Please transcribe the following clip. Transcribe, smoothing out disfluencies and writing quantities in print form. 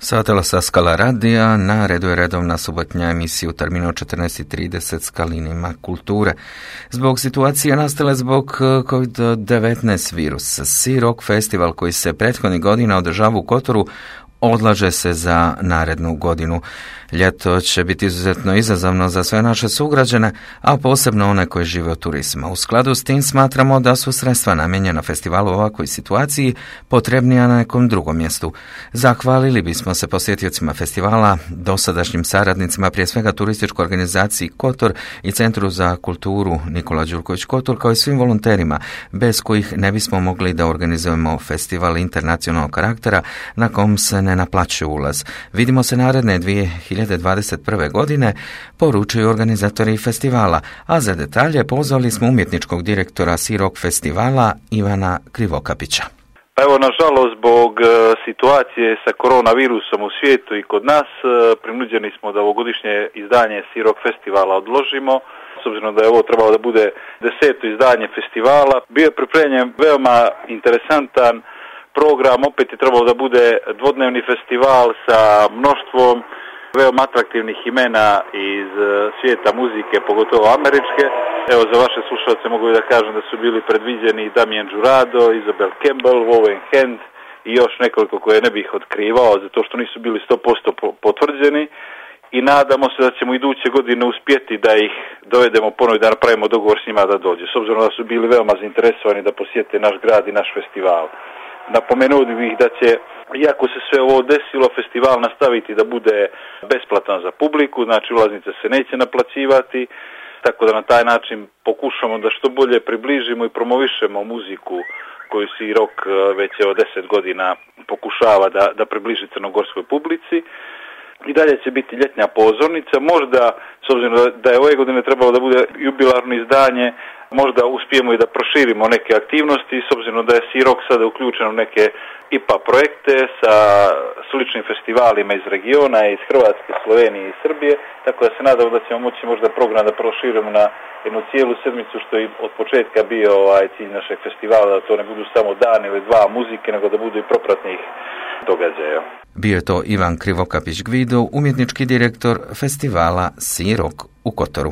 Satela sa Skala radija, na redu je redovna subotnja emisija u terminu 14:30 s Kalinima kulture. Zbog situacije nastale zbog COVID-19 virusa, Sea Rock festival koji se prethodnih godina održava u Kotoru odlaže se za narednu godinu. Ljeto će biti izuzetno izazovno za sve naše sugrađane, a posebno one koji žive od turizma. U skladu s tim smatramo da su sredstva namijenjena festivalu u ovakvoj situaciji potrebnija na nekom drugom mjestu. Zahvalili bismo se posjetiocima festivala, dosadašnjim saradnicima, prije svega turističkoj organizaciji Kotor i Centru za kulturu Nikola Đurković Kotor, kao i svim volonterima, bez kojih ne bismo mogli da organizujemo festival internacionalnog karaktera na kom se ne naplaćuje ulaz. Vidimo se naredne 2021. godine, poručuju organizatori festivala, a za detalje pozvali smo umjetničkog direktora Sea Rock festivala Ivana Krivokapića. Pa evo, nažalost, zbog situacije sa koronavirusom u svijetu i kod nas, prinuđeni smo da ovogodišnje izdanje Sea Rock festivala odložimo. S obzirom da je ovo trebalo da bude 10. izdanje festivala, bio je pripremljen veoma interesantan program, opet je trebalo da bude dvodnevni festival sa mnoštvom veoma atraktivnih imena iz svijeta muzike, pogotovo američke. Evo, za vaše slušalce mogu da kažem da su bili predviđeni Damien Jurado, Isabel Campbell, Owen Hand i još nekoliko koje ne bih otkrivao, zato što nisu bili 100% potvrđeni. I nadamo se da ćemo iduće godine uspjeti da ih dovedemo ponovo i da napravimo dogovor s njima da dođe. S obzirom da su bili veoma zainteresovani da posjete naš grad i naš festival. Napomenuo bih da će, iako se sve ovo desilo, festival nastaviti da bude besplatan za publiku, znači ulaznice se neće naplaćivati, tako da na taj način pokušamo da što bolje približimo i promovišemo muziku koju Sea Rock već 10 godina pokušava da približi crnogorskoj publici. I dalje će biti ljetnja pozornica, možda, s obzirom da je ove godine trebalo da bude jubilarno izdanje, možda uspijemo i da proširimo neke aktivnosti, s obzirom da je Sea Rock sada uključen u neke IPA projekte sa sličnim festivalima iz regiona, iz Hrvatske, Slovenije i Srbije, tako da se nadamo da ćemo moći možda program da proširimo na jednu cijelu sedmicu, što je od početka bio cilj našeg festivala, da to ne budu samo dan ili dva muzike, nego da budu i propratnih događaja. Bio je to Ivan Krivokapić Gvido, umjetnički direktor festivala Sea Rock u Kotoru.